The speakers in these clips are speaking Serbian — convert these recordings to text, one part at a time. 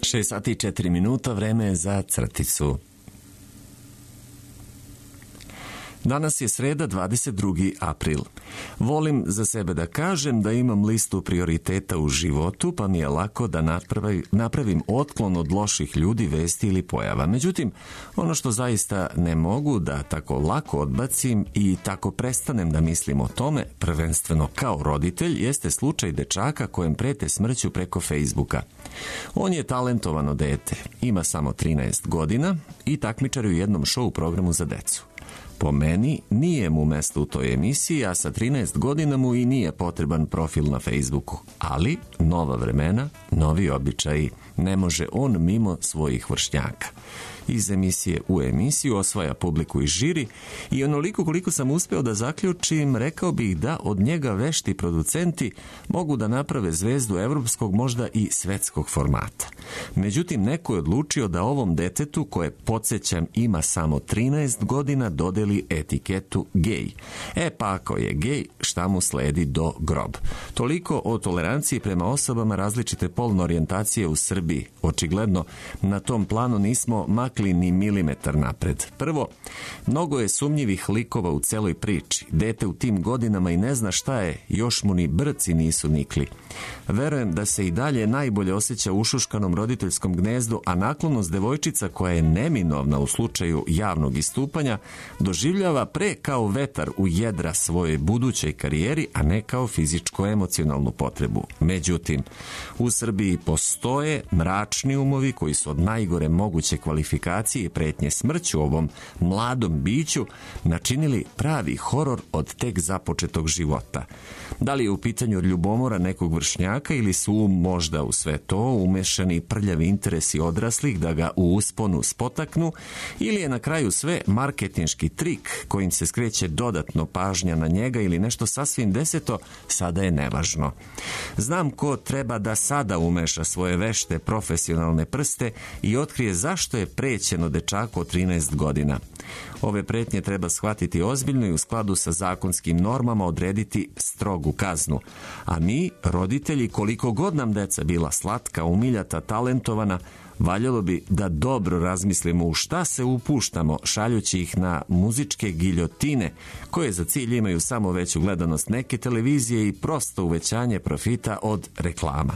6 sati i 4 minuta, vreme je za crticu. Danas je sreda, 22. april. Volim za sebe da kažem da imam listu prioriteta u životu, pa mi je lako da napravim otklon od loših ljudi, vesti ili pojava. Međutim, ono što zaista ne mogu da tako lako odbacim i tako prestanem da mislim o tome, prvenstveno kao roditelj, jeste slučaj dečaka kojem prete smrću preko Facebooka. On je talentovano dete, ima samo 13 godina i takmičar u jednom show programu za decu. Po meni, nije mu mesto u toj emisiji, a sa 13 godina mu i nije potreban profil na Facebooku. Ali, nova vremena, novi običaji, ne može on mimo svojih vršnjaka. Iz emisije u emisiju osvaja publiku i žiri i onoliko koliko sam uspeo da zaključim, rekao bih da od njega vešti producenti mogu da naprave zvezdu evropskog, možda i svetskog formata. Međutim, neko je odlučio da ovom detetu, koje, podsjećam, ima samo 13 godina, dodeli etiketu gej. Pa ako je gej, šta mu sledi do grob? Toliko o toleranciji prema osobama različite polne orijentacije u Srbiji. Očigledno, na tom planu nismo makli ni milimetar napred. Prvo, mnogo je sumnjivih likova u celoj priči. Dete u tim godinama i ne zna šta je, još mu ni brci nisu nikli. Verujem da se i dalje najbolje osjeća u ušuškanom roditeljskom gnezdu, a naklonost devojčica koja je neminovna u slučaju javnog istupanja doživljava pre kao vetar u jedra svoje budućoj karijeri, a ne kao fizičko-emocionalnu potrebu. Međutim, u Srbiji postoje mračni umovi koji su od najgore moguće kvalifikacije i pretnje smrću ovom mladom biću načinili pravi horor od tek započetog života. Da li je u pitanju ljubomora nekog vršnjaka ili su možda u sve to umešani prljavi interesi odraslih da ga u usponu spotaknu, ili je na kraju sve marketinški trik kojim se skreće dodatno pažnja na njega ili nešto sasvim deseto, sada je nevažno. Znam ko treba da sada umeša svoje vešte profesionalne prste i otkrije zašto je prećeno dečaku od 13 godina. Ove pretnje treba shvatiti ozbiljno i u skladu sa zakonskim normama odrediti strogu kaznu. A mi, roditelji, koliko god nam deca bila slatka, umiljata, talentovana, valjalo bi da dobro razmislimo u šta se upuštamo šaljući ih na muzičke giljotine koje za cilj imaju samo veću gledanost neke televizije i prosto uvećanje profita od reklama.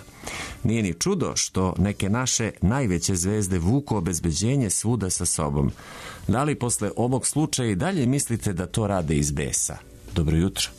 Nije ni čudo što neke naše najveće zvezde vuku obezbeđenje svuda sa sobom. Da li posle ovog slučaja i dalje mislite da to rade iz besa? Dobro jutro.